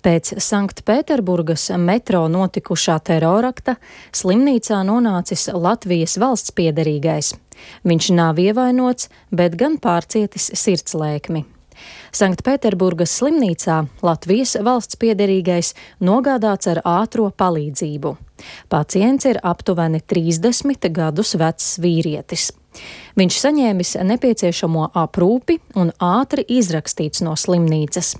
Pēc Sanktpēterburgas metro notikušā terorakta slimnīcā nonācis Latvijas valsts piederīgais. Viņš nav ievainots, bet gan pārcietis sirdslēkmi. Sanktpēterburgas slimnīcā Latvijas valsts piederīgais nogādāts ar ātro palīdzību. Pacients ir aptuveni 30 gadus vecs vīrietis. Viņš saņēmis nepieciešamo aprūpi un ātri izrakstīts no slimnīcas.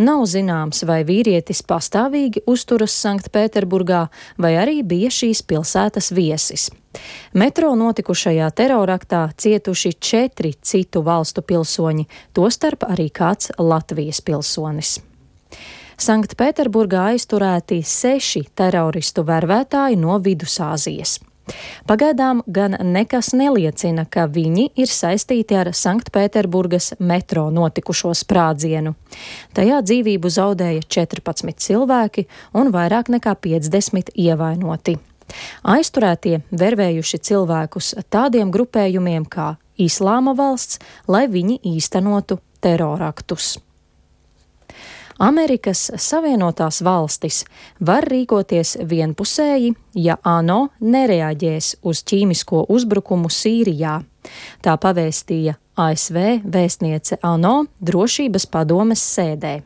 Nav zināms, vai vīrietis pastāvīgi uzturas Sanktpēterburgā, vai arī bija šīs pilsētas viesis. Metro notikušajā teroraktā cietuši 4 citu valstu pilsoņi, tostarp arī kāds Latvijas pilsonis. Sanktpēterburgā aizturēti 6 teroristu vervētāji no Vidusāzijas. Pagaidām gan nekas neliecina, ka viņi ir saistīti ar Sanktpēterburgas metro notikušo sprādzienu. Tajā dzīvību zaudēja 14 cilvēki un vairāk nekā 50 ievainoti. Aizturētie vervējuši cilvēkus tādiem grupējumiem kā Islāma valsts, lai viņi īstenotu teroraktus. Amerikas Savienotās valstis var rīkoties vienpusēji, ja ANO nereaģēs uz ķīmisko uzbrukumu Sīrijā. Tā pavēstīja ASV vēstniece ANO drošības padomes sēdē.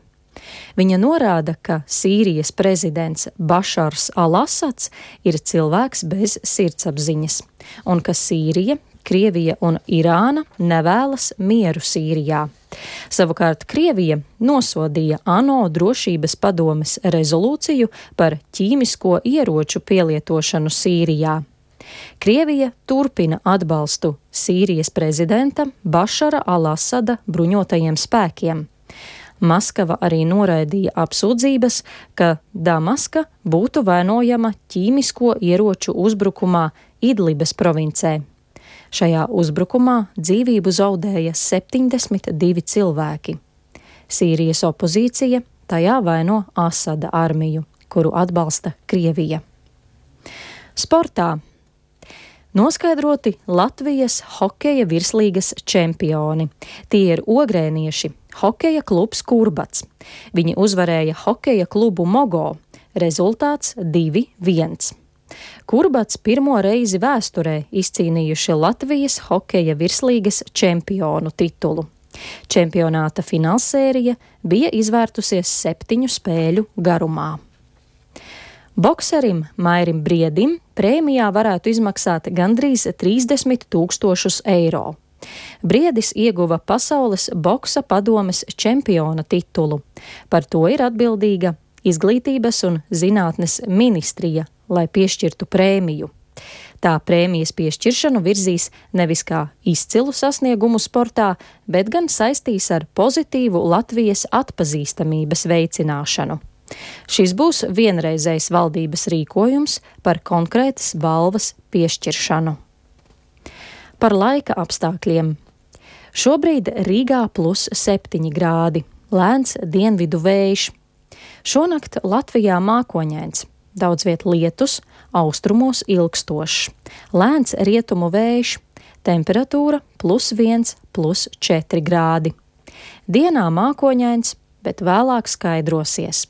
Viņa norāda, ka Sīrijas prezidents Bašars al-Asads ir cilvēks bez sirdsapziņas, un ka Sīrija, Krievija un Irāna nevēlas mieru Sīrijā. Savukārt Krievija nosodīja ANO drošības padomes rezolūciju par ķīmisko ieroču pielietošanu Sīrijā. Krievija turpina atbalstu Sīrijas prezidenta Bašara al-Asada bruņotajiem spēkiem. Maskava arī noraidīja apsūdzības, ka Damaska būtu vainojama ķīmisko ieroču uzbrukumā Idlibes provincē. Šajā uzbrukumā dzīvību zaudēja 72 cilvēki. Sīrijas opozīcija tajā vaino Asada armiju, kuru atbalsta Krievija. Sportā noskaidroti Latvijas hokeja virslīgas čempioni. Tie ir ogrēnieši, hokeja klubs Kurbats. Viņi uzvarēja hokeja klubu Mogo. Rezultāts 2-1. Kurbats pirmo reizi vēsturē izcīnījuši Latvijas hokeja virslīgas čempionu titulu. Čempionāta finālsērija bija izvērtusies 7 spēļu garumā. Bokserim Mairim Briedim prēmijā varētu izmaksāt gandrīz 30 000 eiro. Briedis ieguva pasaules boksa padomes čempiona titulu. Par to ir atbildīga Izglītības un zinātnes ministrija, lai piešķirtu prēmiju. Tā prēmijas piešķiršanu virzīs nevis kā izcilu sasniegumu sportā, bet gan saistīs ar pozitīvu Latvijas atpazīstamības veicināšanu. Šis būs vienreizējs valdības rīkojums par konkrētas balvas piešķiršanu. Par laika apstākļiem. Šobrīd Rīgā +7 grādi, lēns dienvidu vējš. Šonakt Latvijā mākoņains, daudz viet lietus, austrumos ilgstošs, lēns rietumu vējš, temperatūra +1, +4 grādi. Dienā mākoņains, bet vēlāk skaidrosies.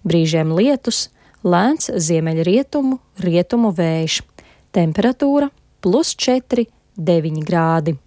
Brīžiem lietus, lēns ziemeļrietumu, rietumu vējš, temperatūra +4, 9 grādi.